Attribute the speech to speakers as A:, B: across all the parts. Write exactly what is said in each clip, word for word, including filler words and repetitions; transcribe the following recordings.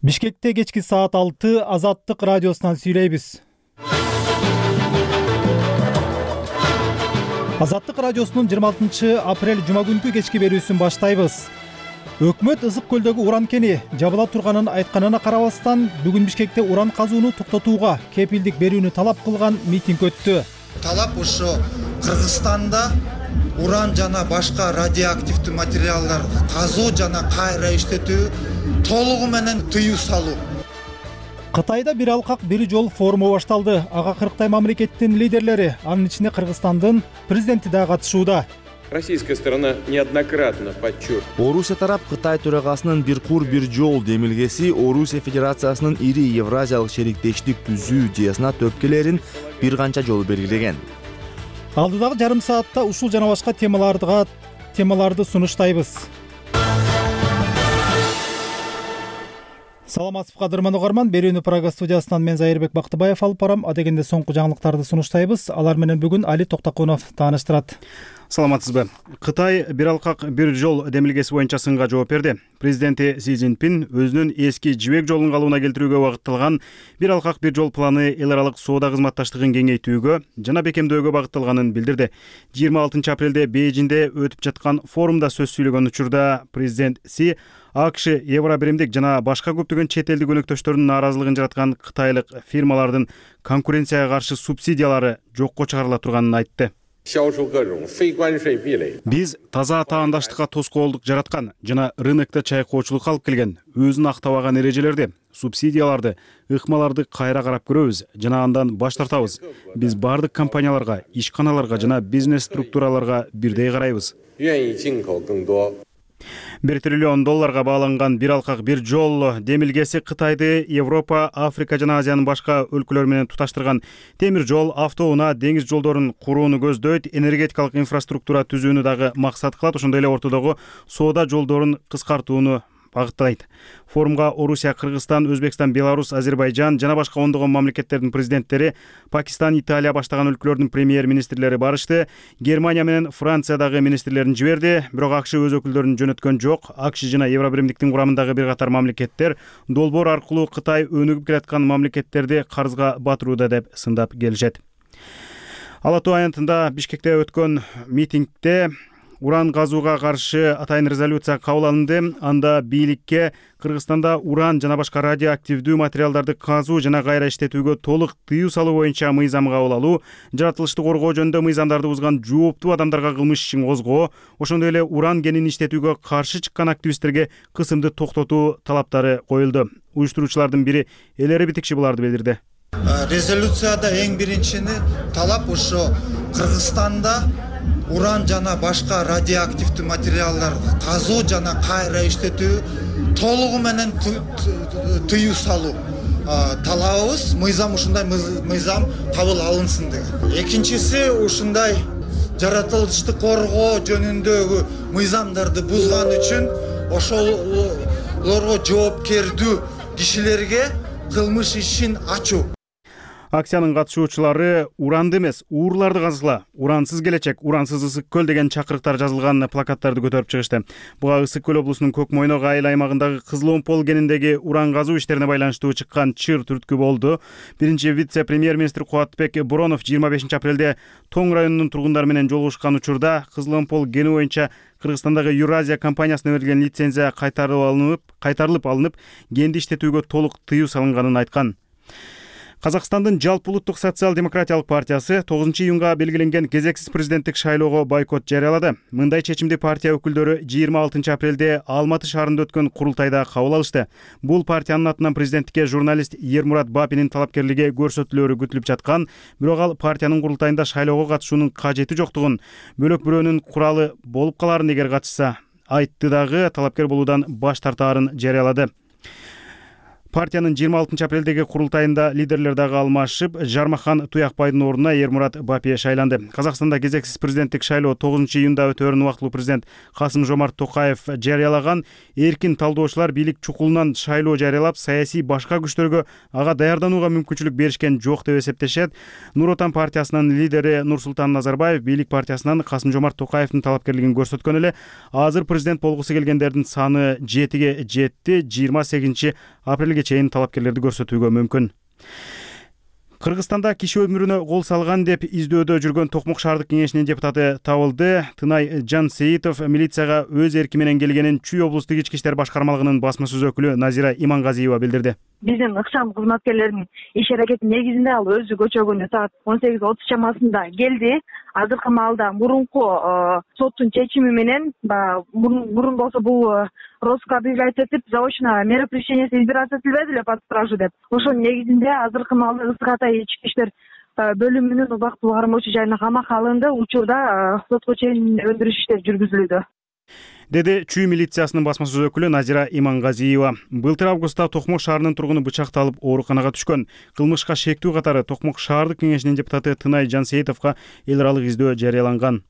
A: Бишкекте кечки саат алты Азаттык радиосунан сүйлөйбүз. Азаттык радиосунун жыйырма алтынчы апрель жума күнкү кечки берүүсүн баштайбыз. Өкмөт Ызык көлдөгү уран кени жабыла турганын айтканына карабастан, бүгүн Бишкекте уран казууну токтотууга кепилдик берүүнү талап кылган митинг өттү.
B: Талап ошо Кыргызстанда уран жана башка радиоактивдүү материалдарды казуу жана кайра иштетүү толугу менен тыюу салуу.
A: Кытайда бир алкак бир жол форуму башталды. Ага кырктай мамлекеттин лидерлери, анын ичинде Кыргызстандын президенти да катышууда.
C: Российская сторона неоднократно подчеркивает.
D: Орусия тарап Кытай төрагасынын бир кур бир жол демилгеси Орусия Федерациясынын ири Евразиялык шериктештик түзүү идеясына төпкелерин бир канча жолу белгилеген.
A: Алдыдагы жарым саатта ушул жана башка темаларга темаларды сунуштайбыз. Саламатсызбы кадырман угарман, берүүнү Прага студиясынан мен Зайырбек Бактыбаев алып барам. Адегенде соңку жаңылыктарды сунуштайбыз. Алар менен бүгүн Али Токтокунов тааныштырат.
E: Саламатсызбы. Кытай бир алкак бир жол демилгеси боюнча сынга жооп берди. Президенти Си Цзиньпин өзүнүн эски жибек жолун калыбына келтирүүгө багытталган бир алкак бир жол планы эл аралык соода кызматташтыгын кеңейтүүгө жана бекемдөөгө багытталганын билдирди. жыйырма алтынчы апрелде Бейжиңде өтүп жаткан форумда сөз сүйлөгөн учурда президент Си АКШ, Евробиримдик жана башка көптөгөн чет элдик өнөктөштөрдүн нааразылыгын жараткан кытайлык фирмалардын конкуренцияга каршы субсидиялары жокко чыгарыла турганын айтты. Биз таза таандаштыкка тоскоолдук жараткан жана рынокто чайкоочулук алып келген, өзүн актабаган эрежелерди, субсидияларды, ыкмаларды кайра карап көрөбүз жана андан баш тартабыз. Биз бардык компанияларга, ишканаларга жана бизнес структураларга бирдей карайбыз. бир триллион долларга бааланган бир алкак бир жол демилгеси Кытайды Европа, Африка жана Азиянын башка өлкөлөрү менен туташтырган темир жол, автоунаа, деңиз жолдорун курууну көздөйт, энергетикалык инфраструктура түзүүнү дагы максат кылат, ошондой эле ортодогу соода жолдорун кыскартууну багыттайт. Форумга Орусия, Кыргызстан, Өзбекстан, Беларусь, Азербайжан жана башка ондогон мамлекеттердин президенттери, Пакистан, Италия баштаган өлкөлөрдүн премьер-министрлери барышты. Германия менен Франциядагы министрлерин жиберди, бирок АКШ өз өкүлдөрүн жөнөткөн жок. АКШ жана Евробиримдиктин курамындагы бир катар мамлекеттер долбоор аркылуу Кытай өнүгүп келаткан мамлекеттерди карызга батырууда деп сындап келишет. Ала Тоо аянтында Бишкекте өткөн митингде уран казууга каршы атайын резолюция кабыл алынды. Анда бийликке Кыргызстанда уран жана башка радиоактивдүү материалдарды казуу жана кайра иштетүүгө толук тыюу салуу боюнча мыйзам кабыл алуу, жаратылышты коргоо жөнүндө мыйзамдарды бузган жооптуу адамдарга кылмыш ишин козгоо, ошондой эле уран кенин иштетүүгө каршы чыккан активисттерге кысымды токтотуу талаптары коюлду. Уюштуруучулардын бири Элери Битикши буларды билдирди.
B: Резолюцияда эң биринчини талап ошо Кыргызстанда уран жана башка радиоактивдүү материалдарды казуу жана кайра иштетүү толугу менен тыюу салуу талабыбыз. Мыйзам ушундай мыйзам кабыл алынсын деген. Экинчиси ушундай жаратылышты коргоо жөнүндөгү мыйзамдарды бузган үчүн ошолорго жоопкердүү кишилерге кылмыш ишин ачуу.
E: Акциянын катышуучулары уранды эмес, уурларды казгыла, урансыз келечек, урансыз Ысык көл деген чакырыктар жазылган плакаттарды көтөрүп чыгышты. Буга Ысык көл облусунун Көк Мойнок айыл аймагындагы Кызыломпол кениндеги уран казуу иштерине байланыштуу чыккан чыр түрткү болду. Биринчи вице-премьер-министр Кубатбек Буронов жыйырма бешинчи апрелде Тоң районунун тургундары менен жолугушкан учурда Кызыломпол кени боюнча Кыргызстандагы Юразия компаниясына берилген лицензия кайтарылып алынып, кайтарылып алынып, кенди иштетүүгө толук тыюу салынганын айткан. Казакстандын Жалпы улуттук социал-демократиялык партиясы тогузунчу июнга белгиленген кезексиз президенттик шайлоого бойкот жарыялады. Мындай чечимди партия өкүлдөрү жыйырма алтынчы апрелде Алматы шаарында өткөн курултайда кабыл алышты. Бул партиянын атынан президенттикке журналист Ермурат Бапинин талапкерлиги көрсөтүлөрү күтүлүп жаткан, бирок ал партиянын курултайында шайлоого катышуунун кажети жоктугун, бөлөк бирөөнүн куралы болуп каларын эгер катышса айтты дагы талапкер болуудан баш тартаарын жарыялады. Партиянын жыйырма алтынчы апрелдеги курултайында лидерлер дагы алмашып, Жармахан Туякбайдын ордуна Эрмурат Бапиев шайланды. Казакстанда кезексиз президенттик шайлоо тогузунчу июнда өтөөрүн убактылуу президент Касым-Жомарт Токаев жарыялаган. Эркин талдоочулар бийлик чукулунан шайлоо жарыялап, саясий башка күчтөргө ага даярданууга мүмкүнчүлүк беришкен жок деп эсептешет. Нур Отан партиясынын лидери Нурсултан Назарбаев бийлик партиясынан Касым-Жомарт Токаевдин талапкерлигин көрсөткөн эле. Азыр президент болгусу келгендердин саны жетиге жетти. жыйырма сегизинчи апрелге чейин талапкерлерди көрсөтүүгө мүмкүн. Кыргызстанда киши өмүрүнө кол салган деп издөөдө жүргөн Токмок шаардык кеңешинин депутаты табылды. Тынай Жансеитов милицияга өз эрки менен келгенин Чүй облустук ички иштер башкармалыгынын басма сөз өкүлү Назира Имангазиева билдирди.
F: Биздин ыкчам кызматкерлердин иш аракети негизинде ал өзү көчө күнү саат он сегиз отуз чамасында келди. Азыркы маалда мурунку соттун чечими менен мурун болсо бул розыска объявлять этип, заочно мера пресечения избираться этилбеди эле под стражу деп. Ошонун негизинде азыркы маалда Ысык Атай ички иштер бөлүмүнүн убактылуу кармоочу жайына камакка алынды. Учурда сотко чейин өндүрүш иштери жүргүзүлүүдө,
E: деди Чүй милициясынын басма сөз өкүлү Назира Имангазиева. Былтыр августта Токмок шаарынын тургуну бычакталып ооруканага түшкөн. Кылмышка шектүү катары Токмок шаардык кеңешинин депутаты Тынай Жансеитовго эл аралык издөө жарыяланган.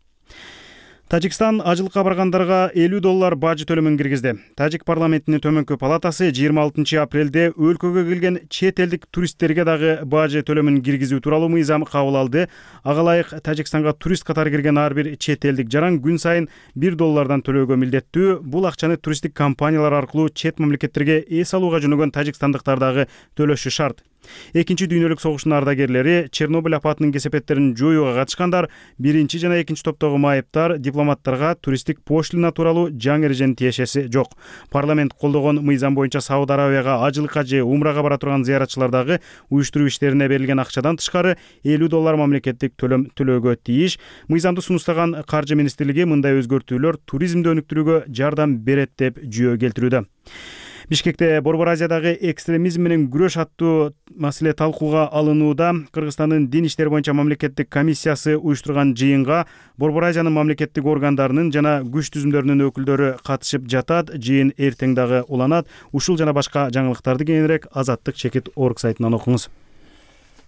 E: Тажикстан ажылыкка баргандарга элүү доллар бажы төлөмүн киргизди. Тажик парламентинин төмөнкү палатасы жыйырма алтынчы апрелде өлкөгө келген чет элдик туристтерге дагы бажы төлөмүн киргизүү тууралуу мыйзам кабыл алды. Ага ылайык Тажикстанга турист катары кирген ар бир чет элдик жаран күн сайын бир доллардан төлөөгө милдеттүү. Бул акчаны туристтик компаниялар аркылуу чет мамлекеттерге эс алууга жөнөгөн тажикстандыктар дагы төлөшү шарт. Экинчи дүйнөлүк согуштун ардагерлери, Чернобыль апатынын кесепеттерин жоюуга катышкандар, биринчи жана экинчи топтогу майыптар, дипломаттарга туристтик пошлина тууралуу жаңы эрежени тиешеси жок. Парламент колдогон мыйзам боюнча Сауд Арабияга ажылыкка же умрага бара турган зыяратчылар дагы уюштуруу иштерине берилген акчадан тышкары элүү доллар мамлекеттик төлөм төлөөгө тийиш. Мыйзамды сунуштаган Каржы министрлиги мындай өзгөртүүлөр туризмди өнүктүрүүгө жардам берет деп жүйө келтирүүдө. Бишкекте Борбор Азиядагы экстремизм менен күрөш аттуу маселе талкууга алынууда. Кыргызстандын дин иштери боюнча мамлекеттик комиссиясы уюштурган жыйынга Борбор Азиянын мамлекеттик органдарынын жана күч түзүмдөрүнүн өкүлдөрү катышып жатат. Жыйын эртең дагы уланат. Ушул жана башка жаңылыктарды кийинирээк Азаттык чекит орг сайтынан окуңуз.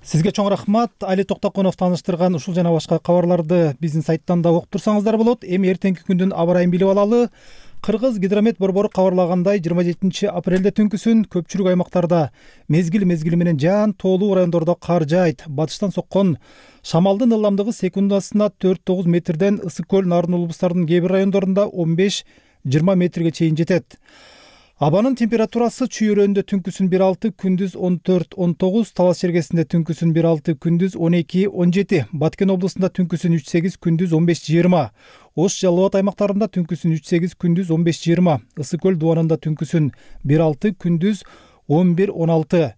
A: Сизге чоң рахмат. Али Токтоконов тааныштырган ушул жана башка кабарларды биздин сайттан да окуп турсаңыздар болот. Эми эртеңки күндүн аба ырайын билип алалы. Кыргыз гидромет борбору кабарлагандай жыйырма жетинчи апрелде түнкүсүн көпчүлүк аймактарда мезгил мезгили менен жаан тоолуу райондордо кар жаайт. Батыштан соккон шамалдын ылдамдыгы секундасына төрт тогуз метрден Ысык көл, Нарын облустарынын кээ бир райондорунда он беш жыйырма метрге чейин жетет. Абанын температурасы Чүй өрөөнүндө түнкүсүн бир алты, күндүз он төрт он тогуз, Талас чергесинде түнкүсүн бир алты, күндүз он эки он жети, Баткен облусунда түнкүсүн үч сегиз, күндүз он беш жыйырма, Ош Жалал Абад аймактарында түнкүсүн үч сегиз, күндүз он беш жыйырма, Ысык көл дубанында түнкүсүн бир алты, күндүз он бир он алты,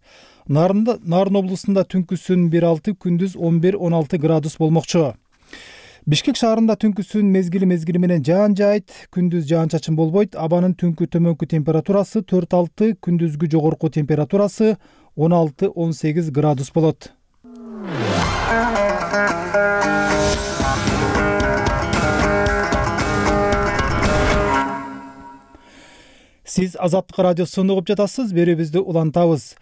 A: Нарында Нарын облусунда түнкүсүн бир алты, күндүз он бир он алты градус болмокчу. Бишкек шаарында түнкүсүн мезгили мезгили менен жаан жаайт, күндүз жаан-чачын болбойт. Абанын түнкү төмөнкү температурасы төрт алты, күндүзгү жогорку температурасы он алты он сегиз градус болот. Сиз Азаттык радиосун угуп жатасыз, берүүбүздү улантабыз.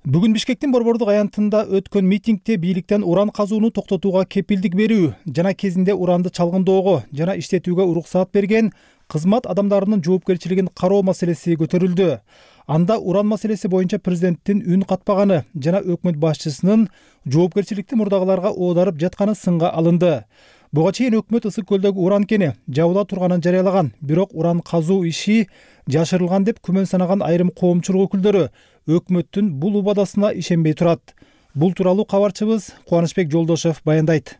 A: Бүгүн Бишкектин борбордук аянтында өткөн митингде бийликтен уран казууну токтотууга кепилдик берүү жана кезинде уранды чалгындоого жана иштетүүгө уруксаат берген кызмат адамдарынын жоопкерчилигин кароо маселеси көтөрүлдү. Анда уран маселеси боюнча президенттин үн катпаганы жана өкмөт башчысынын жоопкерчиликти мурдагыларга оодарып жатканы сынга алынды. Буга чейин өкмөт Ысык көлдөгү уран кени жабыла турганын жарыялаган, бирок уран казуу иши жашырылган деп күмөн санаган айрым коомчулук өкүлдөрү өкмөттүн бул убадасына ишенбей турат. Бул тууралуу кабарчыбыз Кубанычбек Жолдошев баяндайт.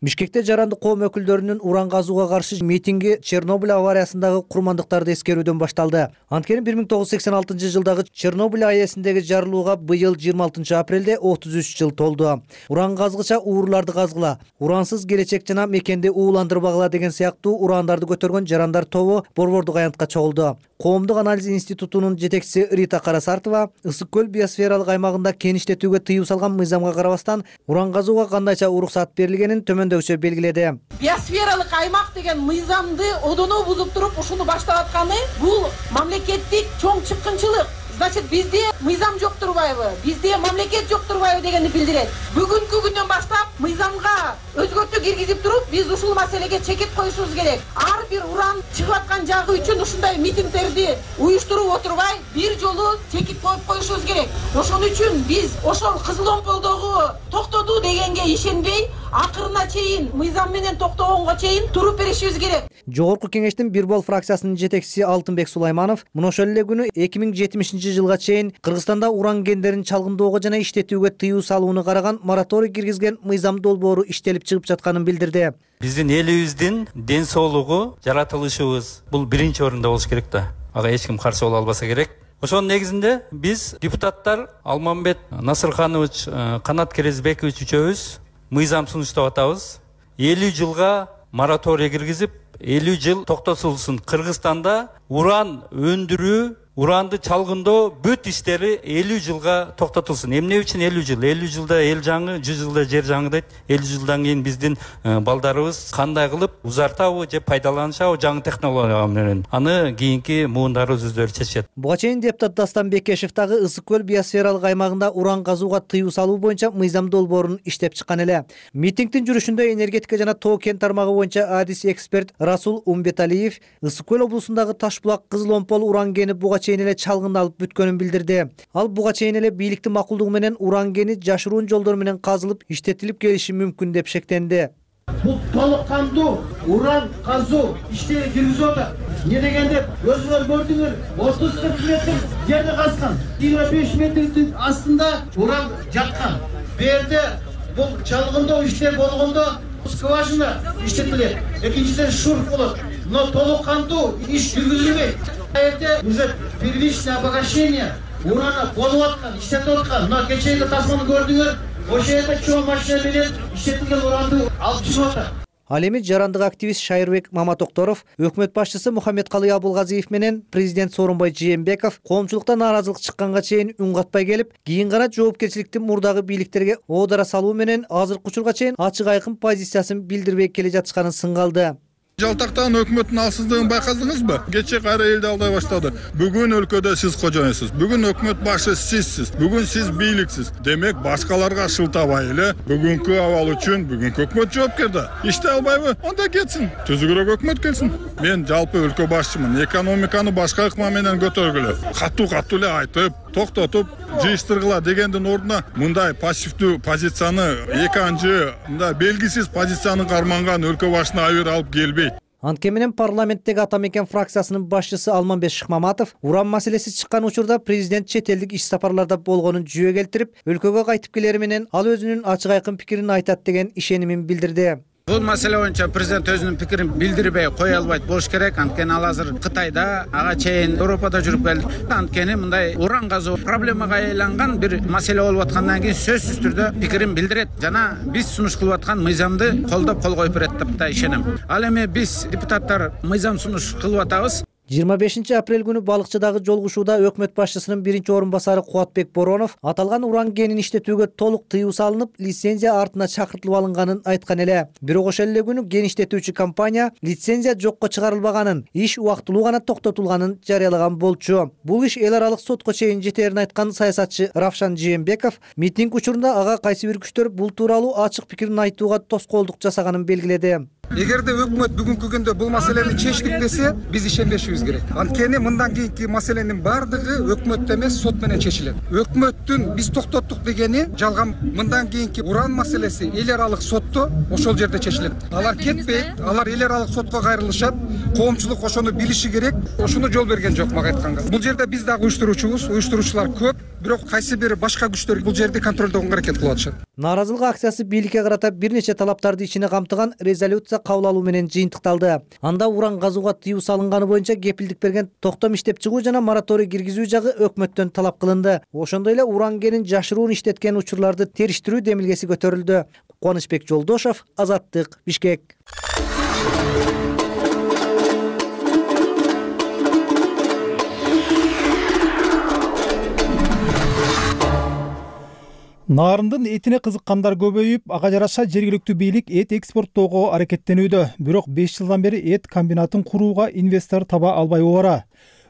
G: Бишкекте жарандык коом өкүлдөрүнүн уран казууга каршы митинги Чернобыль авариясындагы курмандыктарды эскерүүдөн башталды. Анткени бир миң тогуз жүз сексен алтынчы жылдагы Чернобыль аэсиндеги жарылууга быйыл жыйырма алтынчы апрелде отуз үч жыл толду. Уран казгыча уурларды казгыла, урансыз келечек жана мекенди ууландырбагыла деген сыяктуу урандарды көтөргөн жарандар тобу борбордук аянтка чогулду. Коомдук анализ институтунун жетекчиси Рита Карасартова Ысык көл биосфералык аймагында кен иштетүүгө тыюу салган мыйзамга карабастан уран казууга кандайча уруксаат берилгенин төмөндөгүчө белгиледи.
H: биосфералык аймак деген мыйзамды одоно бузуп туруп ушуну баштап атканы бул мамлекеттик чоң чыккынчылык. Значит, бизде мыйзам жок турбайбы, бизде мамлекет жок турбайбы дегенди билдирет. Бүгүнкү күндөн баштап мыйзамга өзгөртүү киргизип туруп, биз ушул маселеге чекит коюшубуз керек. Ар бир уран чыгып аткан жагы үчүн ушундай митингдерди уюштуруп отурбай, бир жолу чекит коюп коюшубуз керек. Ошон үчүн биз ошол Кызыл Омполдогу токтотуу дегенге ишенбей, акырына чейин мыйзам менен токтогонго чейин туруп беришибиз керек.
G: Жогорку кеңештин Бир Бол фракциясынын жетекчиси Алтынбек Сулайманов мына ошол эле күнү эки миң жетимишинчи жылга чейин Кыргызстанда уран кендерин чалгындоого жана иштетүүгө тыюу салууну караган мораторий киргизген мыйзам долбоору иштелип чыгып жатканын билдирди.
I: Биздин элибиздин ден соолугу, жаратылышыбыз бул биринчи орунда болуш керек да. Ага эч ким каршы боло албаса керек. Ошонун негизинде биз депутаттар Алмамбет Насырханович, Канат Керезбекович үчөөбүз мыйзам сунуштап атабыз. элүү жылга мораторий киргизип, элүү жыл токтотулсун. Кыргызстанда уран өндүрүү, уранды чалгындоо бүт иштери элүү жылга токтотулсун. Эмне үчүн элүү жыл? элүү жылда эл жаңы, жүз жылда жер жаңы дейт. элүү жылдан кийин биздин балдарыбыз кандай кылып узартабы же пайдаланышабы жаңы технология менен. Аны кийинки муундарыбыз өздөрү чечет.
G: Буга чейин депутат Дастан Бекешев дагы Ысык көл биосфералык аймагында уран казууга тыюу салуу боюнча мыйзам долбоорун иштеп чыккан эле. Митингдин жүрүшүндө энергетика жана тоо кен тармагы боюнча адис эксперт Расул Умбеталиев Ысык көл облусундагы Ташбулак Кызыл Омпол уран кени буга чейин эле чалгындалып бүткөнүн билдирди. Ал буга чейин эле бийликтин макулдугу менен уран кени жашыруун жолдор менен казылып, иштетилип келиши мүмкүн деп шектенди.
J: Бул толук кандуу уран казуу иштери киргизип атат. Не дегенде өзүңөр көрдүңөр, отуз кырк метр жерди казган, жыйырма беш метрдин астында уран жаткан. Бу жерде бул чалгындоо иштер болгондо скважина иштетилет. Экинчиден шурф болот. Но толук кандуу иш жүргүзүлбөйт. Жерде уже первичное обогащение урана болуп аткан, иштетип аткан. Но кечээги тасманы көрдүңөр, ошол жерде чоң машина менен иштетилген уранды алып чыгып атат.
G: Ал эми жарандык активист Шайырбек Маматокторов, өкмөт башчысы Мухаммедкалый Абулгазиев менен президент Сооронбай Жээнбеков коомчулукта нааразылык чыкканга чейин үн катпай келип, кийин гана жоопкерчиликти мурдагы бийликтерге оодара салуу менен азыркы учурга чейин ачык айкын позициясын билдирбей келе жатышканын сынгалды.
K: Жалтактан өкмөттүн алсыздыгын байкадыңызбы? Кече кайра элди алдай баштады. Бүгүн өлкөдө сиз кожоюнсуз. Бүгүн өкмөт башы сизсиз. Бүгүн сиз бийликсиз. Демек башкаларга шылтабай эле бүгүнкү абал үчүн бүгүнкү өкмөт жооптор да. Иштей албайбы? Анда кетсин. Түзүгүрөөк өкмөт келсин. Мен жалпы өлкө башчымын. Экономиканы башка ыкма менен көтөргүлө. Катуу-катуу эле айтып, токтотуп, жыйыштыргыла дегендин ордуна мындай пассивдүү позицияны, экинчи мындай белгисиз позицияны карманган өлкө башына айыр алып келбейт.
G: Анткени менен парламенттеги Ата Мекен фракциясынын башчысы Алмамбет Шыкмаматов уран маселеси чыккан учурда президент чет элдик иш сапарларда болгонун жүйө келтирип, өлкөгө кайтып келери менен ал өзүнүн ачык айкын пикирин айтат деген ишенимин билдирди.
L: Бул маселе боюнча президент өзүнүн пикирин билдирбей кое албайт болуш керек. Анткени ал азыр Кытайда, ага чейин Европада жүрүп келди. Анткени мындай уран казуу проблемага айланган бир маселе болуп аткандан кийин сөзсүз түрдө пикирин билдирет жана биз сунуш кылып аткан мыйзамды колдоп кол коюп берет деп да ишенем. Ал эми биз депутаттар мыйзам сунуш кылып атабыз.
G: жыйырма бешинчи апрель күнү Балыкчыдагы жолугушууда өкмөт башчысынын биринчи орун басары Кубатбек Боронов аталган уран кенин иштетүүгө толук тыюу салынып, лицензия артына чакыртылып алынганын айткан эле. Бирок ошол эле күнү кен иштетүүчү компания лицензия жокко чыгарылбаганын, иш убактылуу гана токтотулганын жарыялаган болчу. Бул иш эл аралык сотко чейин жетерин айткан саясатчы Равшан Жээнбеков митинг учурунда ага кайсы бир күчтөр бул тууралуу ачык пикирин айтууга тоскоолдук жасаганын белгиледи.
M: Эгерде өкмөт бүгүнкү күндө бул маселени чечтик десе, биз ишенбешибиз керек. Анткени мындан кийинки маселенин бардыгы өкмөттө эмес, сот менен чечилет. Өкмөттүн биз токтоттук дегени жалган. Мындан кийинки уран маселеси эл аралык сотто ошол жерде чечилет. Алар кетпейт, алар эл аралык сотко кайрылышат. Коомчулук ошону билиши керек. Ошону жол берген жок мага айтканга. Бул жерде биз дагы уюштуруучубуз, уюштуруучулар көп, бирок кайсы бир башка күчтөр бул жерди контролдогонго аракет кылып атышат.
G: Нааразылык акциясы бийликке карата бир нече талаптарды ичине камтыган резолюция кабыл алуу менен жыйынтыкталды. Анда уран казууга тыюу салынганы боюнча кепилдик берген токтом иштеп чыгуу жана мораторий киргизүү жагы өкмөттөн талап кылынды. Ошондой эле уран кенин жашыруун иштеткен учурларды териштирүү демилгеси көтөрүлдү. Кубанычбек Жолдошов, Азаттык, Бишкек.
A: Нарындын этине кызыккандар көбөйүп, ага жараша жергиликтүү бийлик эт экспорттоого аракеттенүүдө. Бирок беш жылдан бери эт комбинатын курууга инвестор таба албай обара.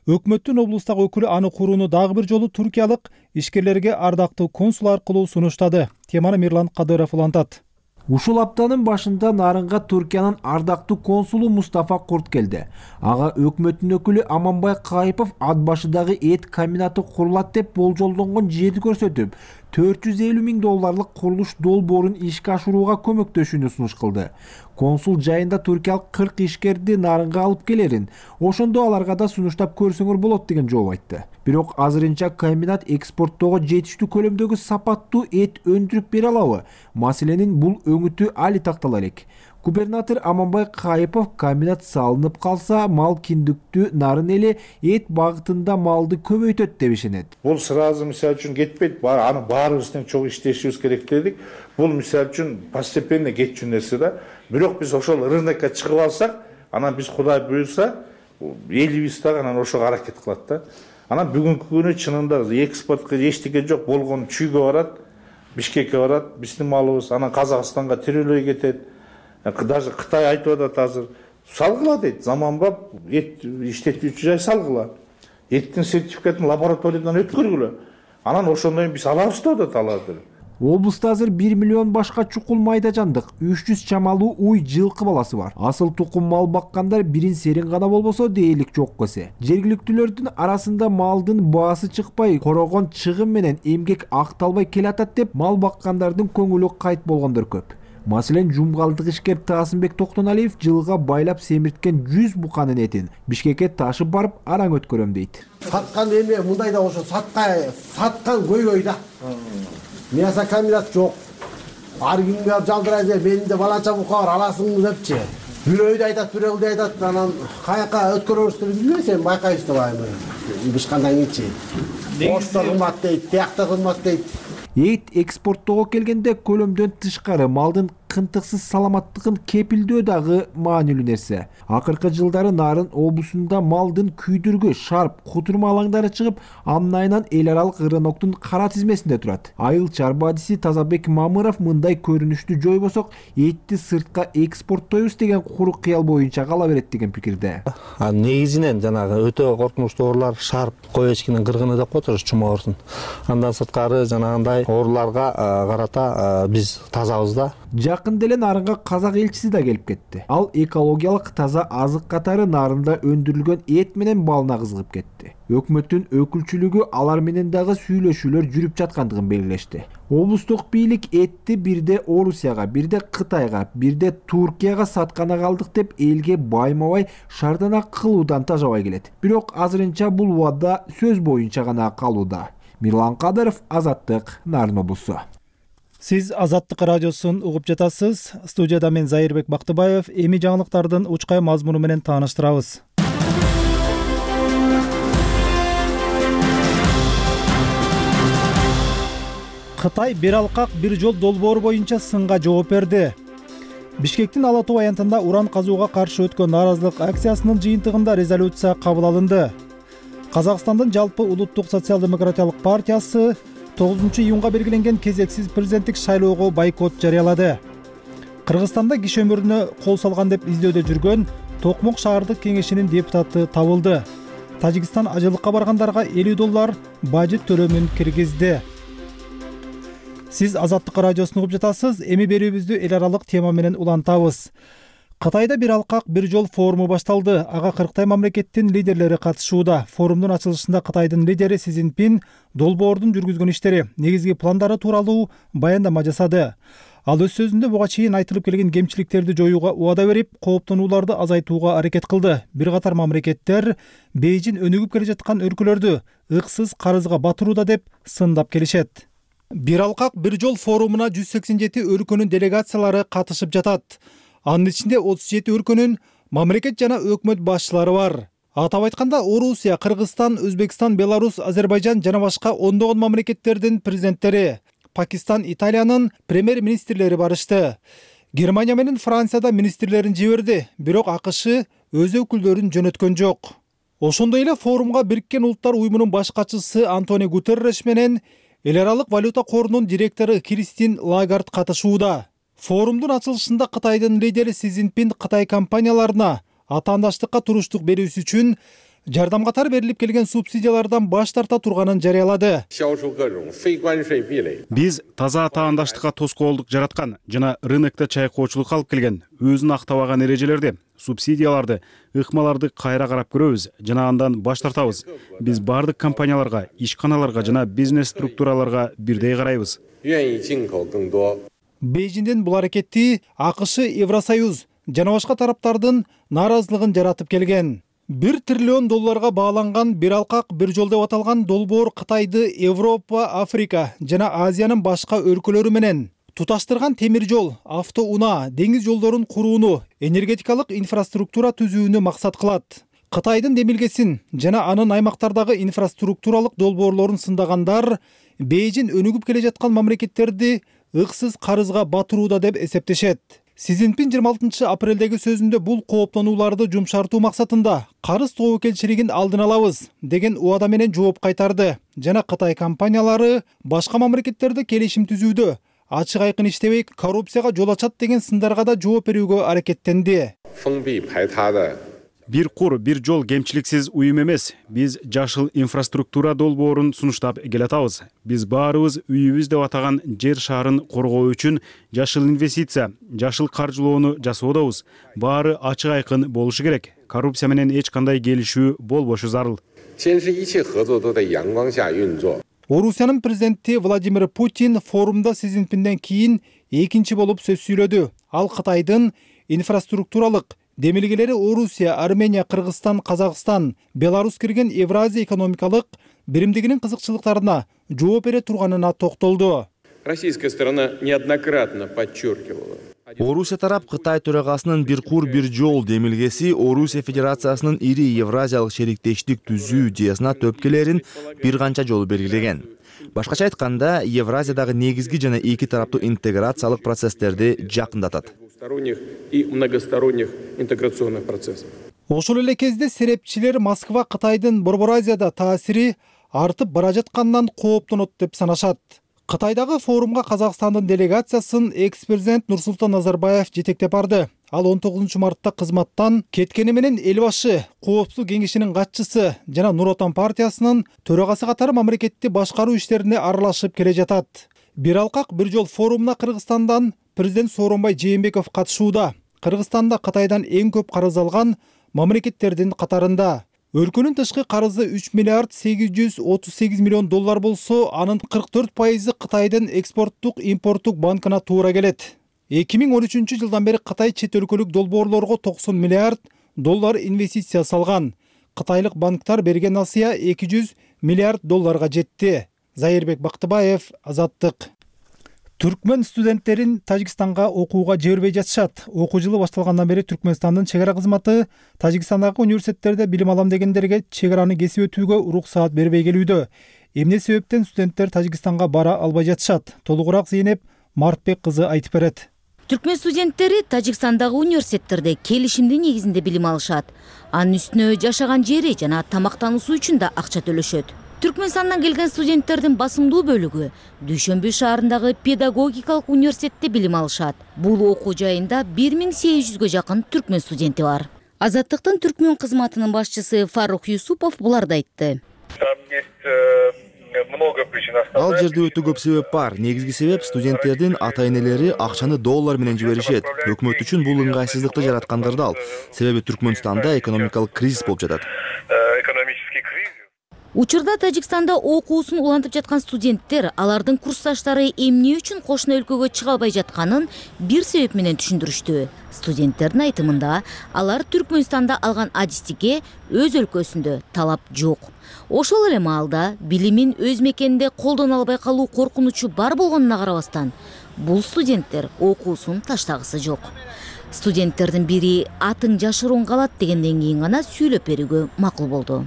A: Өкмөттүн облустагы өкүлү аны курууну дагы бир жолу туркиялык ишкерлерге ардактуу консул аркылуу сунуштады. Теманы Мирлан Кадыров улантат.
N: Ушул аптанын башында Нарынга Туркиянын ардактуу консулу Мустафа Курт келди. Ага өкмөттүн өкүлү Аманбай Кайыпов ат башыдагы эт комбинаты курулат деп болжолдонгон жерди көрсөтүп, төрт жүз элүү миң долларлык курулуш долбоорун ишке ашырууга көмөктөшүүнү сунуш кылды. Консул жайында туркиялык кырк ишкерди Нарынга алып келерин, ошондо аларга да сунуштап көрсөңөр болот деген жооп айтты. Бирок азырынча комбинат экспорттоого жетиштүү көлөмдөгү сапаттуу эт өндүрүп бере алабы? Маселенин бул өңүтү али тактала элек. Губернатор Аманбай Кайыпов комбинат салынып калса, мал киндиктүү Нарын эли эт багытында малды көбөйтөт деп ишенет.
O: Бул сразу мисалы үчүн кетпейт, аны баарыбыз тең чогуу иштешибиз керек дедик. Бул мисалы үчүн постепенно кетчү нерсе да. Бирок биз ошол рынокко чыгып алсак, анан биз Кудай буйрса, элибиз дагы анан ошого аракет кылат да. Анан бүгүнкү күнү чынында экспортко эчтеке жок болгон чүйгө барат, Бишкекке барат, биздин малыбыз, анан Казакстанга тирелей кетет. Даже Кытай айтып атат азыр, салгыла дейт, заманбап эт иштетүүчү жай салгыла. Эттин сертификатын лабораториядан өткөргүлө. Анан ошондон биз алабыз деп атат аларды.
N: Облуста азыр бир миллион башка чукул майда жандык, үч жүз чамалуу уй жылкы баласы бар. Асыл тукум мал баккандар бирин серин гана болбосо дээрлик жок эсе. Жергиликтүүлөрдүн арасында малдын баасы чыкпай, корогон чыгым менен эмгек акталбай келатат деп мал баккандардын көңүлү кайт болгондор көп. Маселен, жумгалдык ишкер Таасынбек Токтоналиев жылга байлап семирткен жүз буканын этин Бишкекке ташып барып араң өткөрөм дейт.
J: Саткан эме мындай да ошо саткан, саткан көйгөй да. Мясо комбинат жок. Ар күнгө жалдырайт, менде баланча бука бар, аласыңбы депчи. Бирөөдү айтат, бирөөдү айтат, анан каяка өткөрөбүз деп билбесем байкайбыз да байым. Бишкандан кийинчи. Оштор кымбат дейт, тиякта кымбат дейт.
N: Эт экспорттоого келгенде көлөмдөн тышкары малдын кынтыксыз саламаттыгын кепилдөө дагы маанилүү нерсе. Акыркы жылдары Нарын облусунда малдын күйдүргү, шарп, кутурма алаңдары чыгып, анын айынан эл аралык рыноктун кара тизмесинде турат. Айыл чарбадиси Тазабек Мамыров мындай көрүнүштү жойбосок, этти сыртка экспорттойбуз деген куру кыял боюнча кала берет деген пикирде.
P: Негизинен жанагы өтө коркунучтуу оорулар шарп, кой эчкинин кыргыны деп коебуз, чума оорусун. Андан сырткары жанагындай ооруларга карата биз тазабыз да.
N: Жакын деле Нарынга казак элчиси да келип кетти. Ал экологиялык таза азык катары Нарында өндүрүлгөн эт менен балына кызыгып кетти. Өкмөттүн өкүлчүлүгү алар менен дагы сүйлөшүүлөр жүрүп жаткандыгын белгилешти. Облустук бийлик этти бирде Орусияга, бирде Кытайга, бирде Туркияга саткана калдык деп элге байма-бай шардана кылуудан тажабай келет. Бирок азырынча бул убада сөз боюнча гана калууда. Мирлан Кадыров, Азаттык, Нарын облусу.
A: Сиз Азаттык радиосун угуп жатасыз. Студияда мен Зайырбек Бактыбаев. Эми жаңылыктардын учкай мазмуну менен тааныштырабыз. Кытай бир алкак бир жол долбоору боюнча сынга жооп берди. Бишкектин Ала Тоо аянтында уран казууга каршы өткөн нааразылык акциясынын жыйынтыгында резолюция кабыл алынды. Казакстандын жалпы улуттук социал-демократиялык партиясы тогузунчу июнга белгиленген кезексиз президенттик шайлоого бойкот жарыялады. Кыргызстанда киши өмүрүнө кол салган деп издөөдө жүргөн Токмок шаардык кеңешинин депутаты табылды. Тажикстан ажылыкка баргандарга элүү доллар бажет төлөмүн киргизди. Сиз Азаттык радиосун угуп жатасыз. Эми берүүбүздү эл аралык тема менен улантабыз. Кытайда бир алкак бир жол форуму башталды. Ага кырктай мамлекеттин лидерлери катышууда. Форумдун ачылышында Кытайдын лидери Си Цзиньпин долбоордун жүргүзгөн иштери, негизги пландары тууралуу баяндама жасады. Ал өз сөзүндө буга чейин айтылып келген кемчиликтерди жоюуга убада берип, кооптонууларды азайтууга аракет кылды. Бир катар мамлекеттер Бейжин өнүгүп келе жаткан өлкөлөрдү ыксыз карызга батырууда деп сындап келишет. Бир алкак бир жол форумуна жүз сексен жети өлкөнүн делегациялары катышып жатат. Анын ичинде отуз жети өлкөнүн мамлекет жана өкмөт башчылары бар. Атап айтканда Орусия, Кыргызстан, Өзбекстан, Беларусь, Азербайжан жана башка ондогон мамлекеттердин президенттери, Пакистан, Италиянын премьер-министрлери барышты. Германия менен Францияда министрлерин жиберди, бирок АКШ өз өкүлдөрүн жөнөткөн жок. Ошондой эле форумга Бириккен Улуттар уюмунун баш катчысы Антонио Гутерреш менен Эл аралык валюта корунун директору Кристин Лагард катышууда. Форумдун ачылышында Кытайдын лидери Си Цзиньпин Кытай компанияларына атаандаштыкка туруштук берүүсү үчүн жардам катары берилип келген субсидиялардан баш тарта турганын жарыялады.
E: Биз таза атаандаштыкка тоскоолдук жараткан жана рынокто чайкоочулук алып келген өзүн актабаган эрежелерди, субсидияларды, ыкмаларды кайра карап көрөбүз жана андан баш тартабыз. Биз бардык компанияларга, ишканаларга жана бизнес структураларга бирдей карайбыз.
A: Бейжиңдин бул аракети АКШ, Евросоюз жана башка тараптардын нааразылыгын жаратып келген. бир триллион долларга бааланган бир алкак бир жол деп аталган долбоор Кытайды Европа, Африка жана Азиянын башка өлкөлөрү менен туташтырган темир жол, автоунаа, деңиз жолдорун курууну, энергетикалык инфраструктура түзүүнү максат кылат. Кытайдын демилгесин жана анын аймактардагы инфраструктуралык долбоорлорун сындагандар Бейжиң өнүгүп келе жаткан мамлекеттерди ыксыз карызга батырууда деп эсептешет. Си Цзиньпин жыйырма алтынчы апрелдеги сөзүндө бул кооптонууларды жумшартуу максатында карыз тобокелчилигин алдын алабыз деген убада менен жооп кайтарды жана Кытай компаниялары башка мамлекеттерде келишим түзүүдө ачык айкын иштебей коррупцияга жол ачат деген сындарга да жооп берүүгө аракеттенди.
E: Бир кур, бир жол кемчиликсиз уюм эмес. Биз жашыл инфраструктура долбоорун сунуштап келатабыз. Биз баарыбыз үйүбүз деп атаган жер шарын коргоо үчүн жашыл инвестиция, жашыл каржылоону жасоодобуз. Баары ачык айкын болушу керек. Коррупция менен эч кандай келишүү болбошу зарыл.
A: Орусиянын президенти Владимир Путин форумда Си Цзиньпинден кийин экинчи болуп сөз сүйлөдү. Ал Кытайдын инфраструктуралык демилгелери Орусия, Армения, Кыргызстан, Казакстан, Беларусь кирген Евразия экономикалык биримдигинин кызыкчылыктарына жооп бере турганына токтолду.
C: Российская сторона неоднократно подчеркивала.
D: Орусия тарап Кытай төрагасынын бир кур бир жол демилгеси Орусия Федерациясынын ири Евразиялык шериктештик түзүү идеясына төпкелерин бир канча жолу белгилеген. Башкача айтканда, Евразиядагы негизги жана эки тараптуу интеграциялык процесстерди жакындатат.
C: И многосторонних интеграционных процессов.
A: Ошол эле кезде серепчилер Москва Кытайдын Борбор Азияда таасири артып бара жаткандан кооптонот деп санашат. Кытайдагы форумга Казакстандын делегациясын экс-президент Нурсултан Назарбаев жетектеп барды. Ал он тогузунчу мартта кызматтан кеткени менен эл башы, Коопсуздук кеңешинин катчысы жана Нур Отан партиясынын төрагасы катары мамлекетти башкаруу иштерине аралашып келе жатат. Бир алкак бир жол форумуна Кыргызстандан президент Сооронбай Жээнбеков катышууда. Кыргызстанда Кытайдан эң көп карыз алган мамлекеттердин катарында. Өлкөнүн тышкы карызы үч миллиард сегиз жүз отуз сегиз миллион доллар болсо, анын кырк төрт пайызы Кытайдын экспорттук импорттук банкына туура келет. эки миң он үчүнчү жылдан бери Кытай чет өлкөлүк долбоорлорго токсон миллиард доллар инвестиция салган. Кытайлык банктар берген насыя эки жүз миллиард долларга жетти. Зайырбек Бактыбаев, Азаттык. Түркмөн студенттерин Тажикстанга окууга жибербей жатышат. Окуу жылы башталгандан бери Түркмөнстандын чек ара кызматы Тажикстандагы университеттерде билим алам дегендерге чек араны кесип өтүүгө уруксаат бербей келүүдө. Эмне себептен студенттер Тажикстанга бара албай жатышат? Толугураак Зейнеп Мартбек кызы айтып берет.
Q: Түркмөн студенттери Тажикстандагы университеттерде келишимдин негизинде билим алышат. Анын үстүнө жашаган жери жана тамактануусу үчүн да акча төлөшөт. Түркмөнстандан келген студенттердин басымдуу бөлүгү Дүйшөмбү шаарындагы педагогикалык университетте билим алышат. Бул окуу жайында бир миң сегиз жүзгө жакын түркмөн студенти бар. Азаттыктын түркмөн кызматынын башчысы Фарух Юсупов буларды айтты.
D: Ал жерде өтө көп себеп бар. Негизги себеп студенттердин ата-энелери акчаны доллар менен жиберишет. Өкмөт үчүн бул ыңгайсыздыкты жараткандыр да ал. Себеби Түркмөнстанда экономикалык кризис болуп жатат.
Q: Учурда Тажикстанда окуусун улантып жаткан студенттер алардын курсташтары эмне үчүн кошуна өлкөгө чыга албай жатканын бир себеп менен түшүндүрүштү. Студенттердин айтымында алар Түркмөнстанда алган адистикке өз өлкөсүндө талап жок. Ошол эле маалда билимин өз мекенинде колдоно албай калуу коркунучу бар болгонуна карабастан, бул студенттер окуусун таштагысы жок. Студенттердин бири атың жашыруун калат дегенден кийин гана сүйлөп берүүгө макул болду.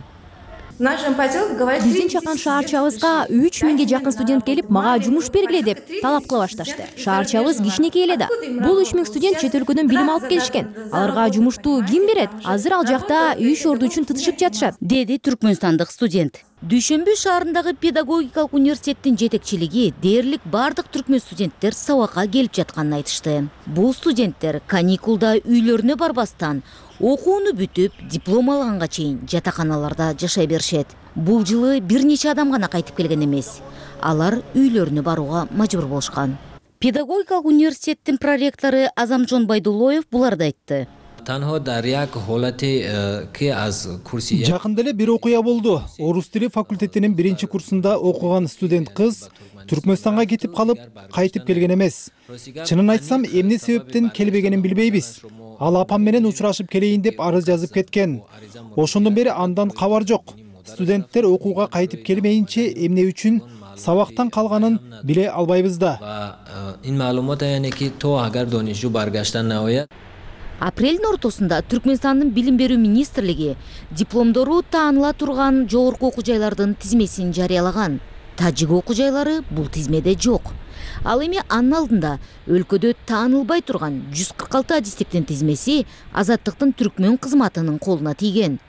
R: Биздин чакан шаарчабызга үч миңге жакын студент келип, мага жумуш бергиле деп талап кыла башташты. Шаарчабыз кичинекей эле да. Бул үч миң студент чет өлкөдөн билим алып келишкен. Аларга жумушту ким берет? Азыр ал жакта үй шорду үчүн тытышып жатышат,
Q: деди түркмөнстандык студент. Дүйшөмбү шаарындагы педагогикалык университеттин жетекчилиги дээрлик бардык түркмөн студенттер сабакка келип жатканын айтышты. Бул студенттер каникулда үйлөрүнө барбастан окууну бүтүп, диплом алганга чейин жатаканаларда жашай беришет. Бул жылы бир нече адам гана кайтып келген эмес. Алар үйлөрүнө барууга мажбур болушкан. Педагогикалык университеттин проректору Азамжон Байдулоев буларды айтты.
A: Жакында эле бир окуя болду. Орус тили факультетинин биринчи курсунда окуган студент кыз Түркмөнстанга кетип калып, кайтып келген эмес. Чынын айтсам, эмне себептен келбегенин билбейбиз. Ал апам менен учурашып келейин деп арыз жазып кеткен. Ошондон бери андан кабар жок. Студенттер окууга кайтып келмейинче эмне үчүн сабактан калганын биле албайбыз да.
Q: Апрелдин ортосунда Түркмөнстандын билим берүү министрлиги дипломдору тааныла турган жогорку окуу жайлардын тизмесин жарыялаган. Тажик окуу жайлары бул тизмеде жок. Ал эми анын алдында өлкөдө таанылбай турган жүз кырк алты адистиктин тизмеси Азаттыктын түркмөн кызматынын колуна тийген.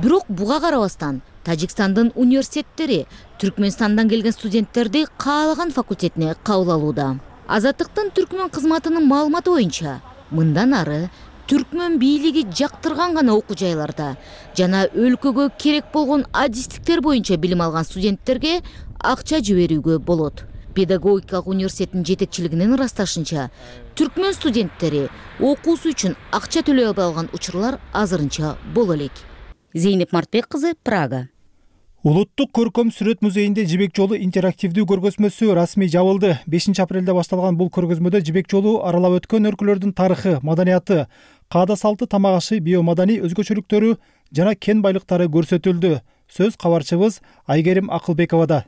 Q: Бирок буга карабастан Тажикстандын университеттери Түркмөнстандан келген студенттерди каалаган факультетине кабыл алууда. Азаттыктын түркмөн кызматынын маалыматы боюнча, мындан ары түркмөн бийлиги жактырган гана окуу жайларда жана өлкөгө керек болгон адистиктер боюнча билим алган студенттерге акча жиберүүгө болот. Педагогикалык университеттин жетекчилигинин ырасташынча, түркмөн студенттери окуусу үчүн акча төлөй албай калган учурлар азырынча боло элек. Зейнеп Мартбек кызы, Прага.
A: Улуттук көркөм сүрөт музейинде Жибек жолу интерактивдүү көргөзмөсү расмий жабылды. бешинчи апрелде башталган бул көргөзмөдө Жибек жолу аралап өткөн өлкөлөрдүн тарыхы, маданияты, каада салты, тамак ашы, биомаданий өзгөчөлүктөрү жана кен байлыктары көрсөтүлдү. Сөз кабарчыбыз Айгерим Акылбековада.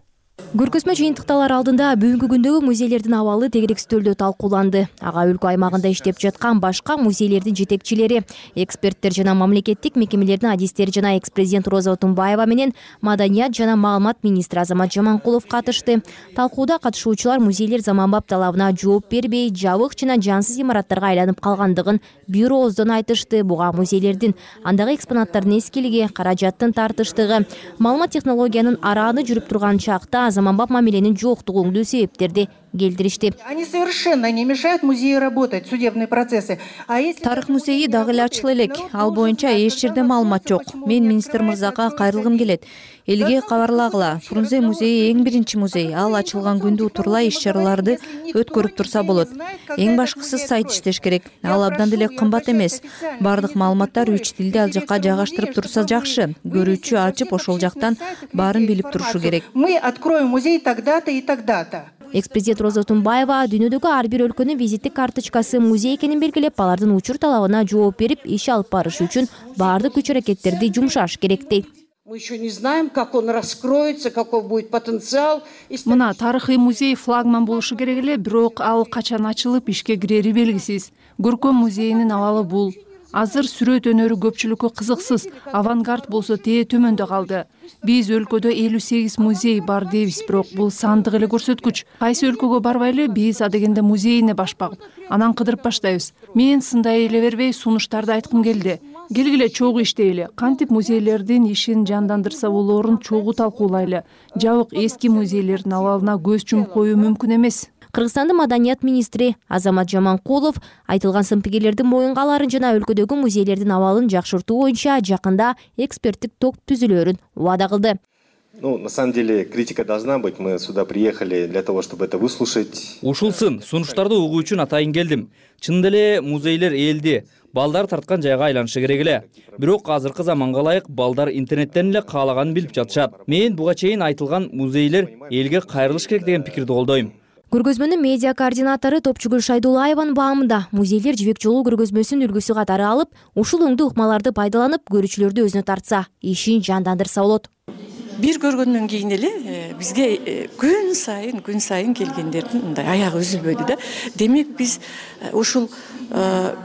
R: Көргөзмө жыйынтыкталар алдында бүгүнкү күндөгү музейлердин абалы тегерек стөлдө талкууланды. Ага өлкө аймагында иштеп жаткан башка музейлердин жетекчилери, эксперттер жана мамлекеттик мекемелердин адистери жана экс-президент Роза Отунбаева менен маданият жана маалымат министри Азамат Жаманкулов катышты. Талкууда катышуучулар музейлер заманбап талабына жооп бербей, жабык жана жансыз имараттарга айланып калгандыгын бир ооздон айтышты. Буга музейлердин андагы экспонаттардын эскилиги, каражаттын тартыштыгы, маалымат технологиянын арааны жүрүп турган чакта заманбап мамиленин жоктугундуу себептерди келтиришти.
S: Они совершенно не мешают музею работать, судебные процессы.
T: Тарых музейи дагы эле ачыла элек. Ал боюнча эч жерде маалымат жок. Мен министр мырзага кайрылгым келет. Элге кабарлагыла. Фрунзе музейи эң биринчи музей. Ал ачылган күндө утурлай иш-чараларды өткөрүп турса болот. Эң башкысы сайт иштеш керек. Ал абдан деле кымбат эмес. Бардык маалыматтар үч тилде ал жакка жайгаштырып турса жакшы. Көрүүчү ачып ошол жактан баарын билип турушу керек.
S: Мы откроем музей тогда-то и тогда-то.
R: Экс-президент Роза Отунбаева дүйнөдөгү ар бир өлкөнүн визиттик карточкасы музей экенин белгилеп, алардын учур талабына жооп берип, иш алып барыш үчүн баардык күч-аракеттерди жумшаш керек дейт.
S: Мы еще не знаем, как он раскроется, какой будет потенциал.
T: Мына тарыхый музей флагман болушу керек эле, бирок ал качан ачылып ишке кирери белгисиз. Көркөм музейинин абалы бул. Азыр сүрөт өнөрү көпчүлүккө кызыксыз, авангард болсо тээ төмөндө калды. Биз өлкөдө элүү сегиз музей бар дейбиз, бирок бул сандык эле көрсөткүч. Кайсы өлкөгө барбайлы биз адегенде музейине башпагып, анан кыдырып баштайбыз. Мен сындай эле бербей сунуштарды айткым келди. Келгиле чогуу иштейли. Кантип музейлердин ишин жандандырса болоорун чогуу талкуулайлы. Жабык эски музейлердин абалына көз жумуп коюу мүмкүн эмес.
R: Кыргызстандын маданият министри Азамат Жаманкулов айтылган сын-пикирлердин моюнга аларын жана өлкөдөгү музейлердин абалын жакшыртуу боюнча жакында эксперттик топ түзүлөөрүн убада кылды.
U: Ну, на самом деле, критика должна быть. Мы сюда приехали для того, чтобы это выслушать.
V: Ушул сын, сунуштарды угуу үчүн атайын келдим. Чынында эле музейлер элди, балдар тарткан жайга айланышы керек эле. Бирок азыркы заманга ылайык балдар интернеттен эле каалаганын билип жатышат. Мен буга чейин айтылган музейлер элге кайрылыш керек деген пикирди колдойм.
R: Көргөзмөнүн медиа координатору Топчугүл Шайдулаеванын баамында музейлер Жибек жолу көргөзмөсүн үлгүсү катары алып, ушул оңдуу ыкмаларды пайдаланып, көрүүчүлөрдү өзүнө тартса, ишин жандандырса болот.
W: Бир көргөндөн кийин эле бизге күн сайын, күн сайын келгендердин мындай аягы үзүлбөйдү да. Демек биз ушул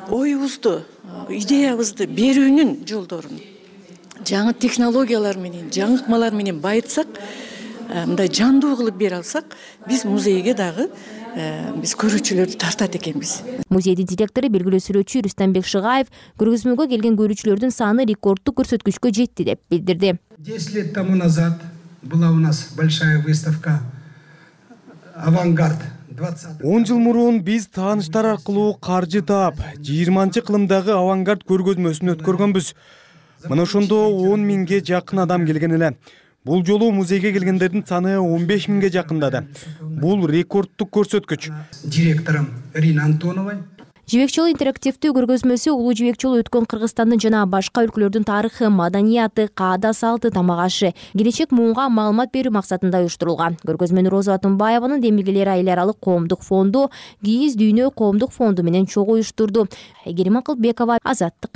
W: оюбузду, идеябызды берүүнүн жолдорун жаңы технологиялар менен, жаңы ыкмалар менен байытсак, мындай жандуу кылып бере алсак, биз музейге дагы биз көрүүчүлөрдү тартат экенбиз.
R: Музейдин директору белгилүү сүрөтчү Рустамбек Шыгаев көргөзмөгө келген көрүүчүлөрдүн саны рекорддук көрсөткүчкө жетти деп билдирди.
J: десять лет тому назад
B: была у нас большая выставка «Авангард».
F: он жыл мурун биз тааныштар аркылуу каржы таап жыйырманчы кылымдагы авангард көргөзмөсүн өткөргөнбүз. Мына ошондо он миңге жакын адам келген эле. Бул жолу музейге келгендердин саны он беш миңге жакындады. Бул рекорддук көрсөткүч.
B: Директором Ириной Антоновой.
R: Жибек жолу интерактивдүү көргөзмөсү улуу жибек жолу өткөн Кыргызстандын жана башка өлкөлөрдүн тарыхы, маданияты, каада салты, тамак ашы, келечек муунга маалымат берүү максатында уюштурулган. Көргөзмөнү Роза Атымбаеванын Демилгелер айыл аралык коомдук фонду, Кийиз Дүйнө коомдук фонду менен чогуу уюштурду. Айгерим Акылбекова, Азаттык.